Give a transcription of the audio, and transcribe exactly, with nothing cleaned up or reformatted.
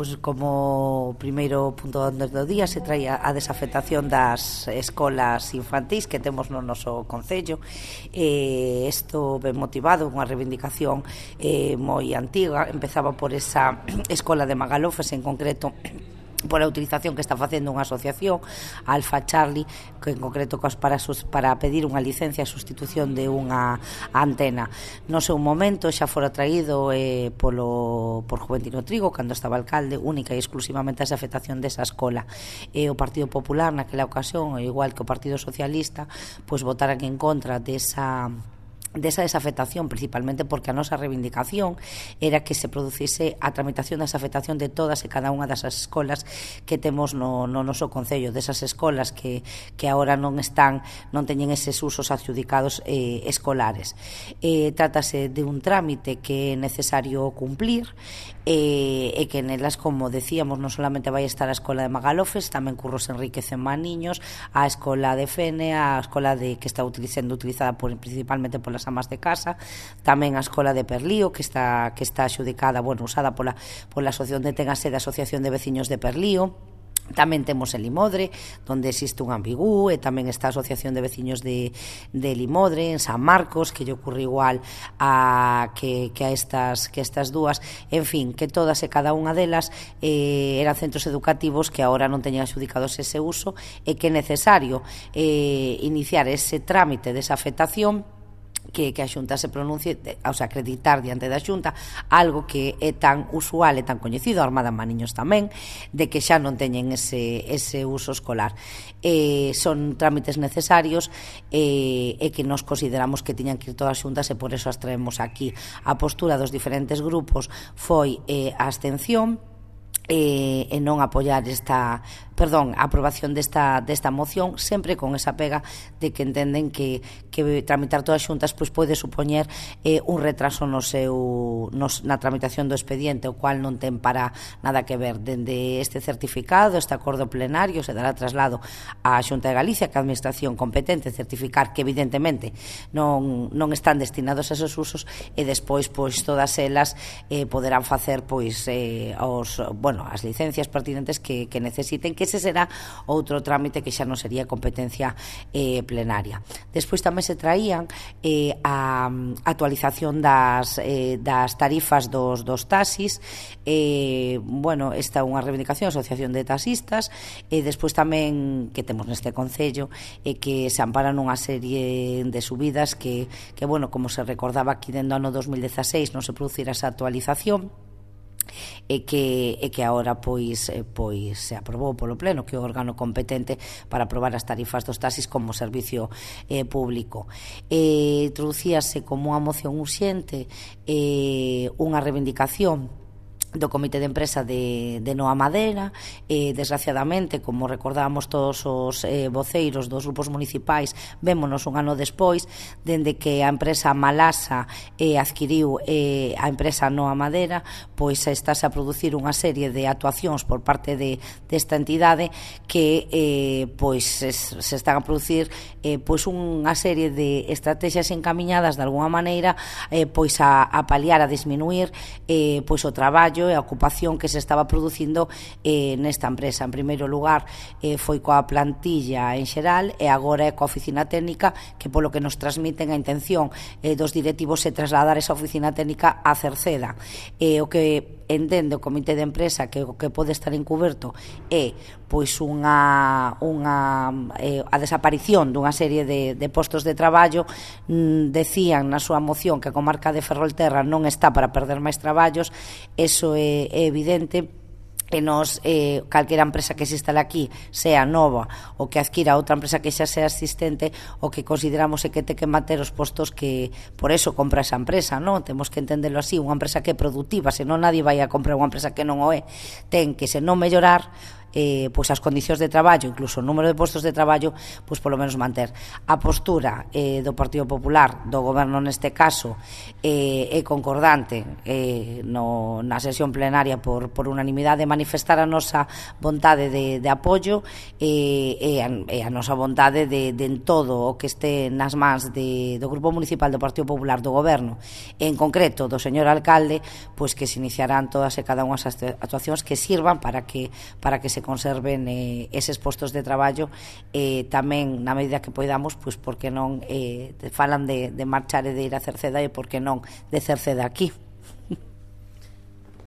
pois como primeiro punto do día se traía a desafectación das escolas infantís que temos no noso concello. Eh, isto ben motivado, unha reivindicación eh, moi antiga, empezaba por esa escola de Magalofes en concreto, por a utilización que está facendo unha asociación Alfa Charlie, que en concreto para, sus, para pedir unha licencia a sustitución de unha antena. No seu momento xa fora traído eh, polo, por Juventino Trigo cando estaba alcalde, única e exclusivamente a afectación desa escola. E o Partido Popular naquela ocasión, igual que o Partido Socialista, pois votaran en contra desa desa desafectación, principalmente porque a nosa reivindicación era que se producise a tramitación da desafectación de todas e cada unha das escolas que temos no, no noso concello, desas escolas que, que agora non están, non teñen eses usos adjudicados eh, escolares. Eh, trátase de un trámite que é necesario cumplir e, e que nelas, como decíamos, non solamente vai estar a escola de Magalofes, tamén Curros Enríquez en Maniños, a escola de Fene, a escola de que está sendo utilizada por, principalmente polas amas de casa, tamén a escola de Perlío que está que está adxudicada, bueno, usada pola pola asociación de ten a sede a Asociación de Veciños de Perlío. Tamén temos en Limodre, onde existe un ambigú, e tamén está a Asociación de Veciños de, de Limodre, en San Marcos, que lle ocurre igual a que, que a estas que estas dúas. En fin, que todas e cada unha delas eh, eran centros educativos que agora non teñen adxudicados ese uso, e que é necesario eh, iniciar ese trámite de esa afectación, que, que a Xunta se pronuncie, o sea, acreditar diante da Xunta algo que é tan usual e tan coñecido, a Armada en Maniños tamén, de que xa non teñen ese, ese uso escolar. Eh, son trámites necesarios eh, e que nos consideramos que tiñan que ir todas xuntas, e por eso as traemos aquí. A postura dos diferentes grupos foi eh, a abstención e, e non apoiar esta, perdón, a aprobación desta, desta moción, sempre con esa pega de que entenden que, que tramitar todas xuntas pois pode supoñer eh, un retraso no seu, nos, na tramitación do expediente, o cual non ten para nada que ver. Dende este certificado, este acordo plenario, se dará traslado á Xunta de Galicia, que a administración competente certificar que evidentemente non, non están destinados a esos usos, e despois pois todas elas eh, poderán facer pois eh, os, bueno, as licencias pertinentes que, que necesiten, que ese será outro trámite que xa non sería competencia eh, plenaria. Despois tamén se traían eh, a actualización das, eh, das tarifas dos, dos taxis. Eh, bueno, esta é unha reivindicación, Asociación de Taxistas, e despois tamén que temos neste concello e eh, que se amparan unha serie de subidas que, que bueno, como se recordaba aquí dentro do ano dos mil dezaseis non se producirá esa actualización, e que, e que agora pois, pois se aprobou polo Pleno, que é o órgano competente para aprobar as tarifas dos taxis como servicio eh, público. Eh, introducíase como unha moción urxente eh, unha reivindicación do Comité de Empresa de, de Noa Madera. Eh, desgraciadamente, como recordábamos todos os eh, voceiros dos grupos municipais, vémonos un ano despois, dende que a empresa Malasa eh, adquiriu eh, a empresa Noa Madera, pois estáse a producir unha serie de actuacións por parte de desta entidade que eh, pois es, se están a producir eh, pois unha serie de estrategias encamiñadas de alguna maneira eh, pois a, a paliar, a disminuir eh, pois o traballo e a ocupación que se estaba producindo eh, nesta empresa. En primeiro lugar eh, foi coa plantilla en xeral, e agora é coa oficina técnica, que polo que nos transmiten a intención eh, dos directivos é trasladar esa oficina técnica a Cerceda. Eh, o que entende o Comité de Empresa que o que pode estar encuberto é pois unha, unha eh, a desaparición dunha serie de, de postos de traballo. Mm, decían na súa moción que a comarca de Ferrolterra non está para perder máis traballos. Eso é, é evidente, e nos, eh, calquera empresa que se instale aquí, sea nova ou que adquira outra empresa que xa sea existente, o que consideramos é que ten que manter os postos que, por eso compra esa empresa, non? Temos que entenderlo así, unha empresa que é productiva, senón nadie vai a comprar unha empresa que non o é. Ten que, se non mellorar, eh, pois as condicións de traballo, incluso o número de postos de traballo, pois polo menos manter. A postura eh, do Partido Popular, do Goberno neste caso, eh, é concordante eh, no, na sesión plenaria por, por unanimidade, manifestar a nosa vontade de, de apoio e, e, a, e a nosa vontade de, de en todo o que este nas mans de, do Grupo Municipal do Partido Popular do Goberno, e en concreto do señor alcalde, pois que se iniciarán todas e cada unha das actuacións que sirvan para que para que se conserven eh, eses postos de traballo, eh, tamén na medida que poidamos, pois porque non eh, falan de, de marchar e de ir a Cerceda, e porque non de Cerceda aquí.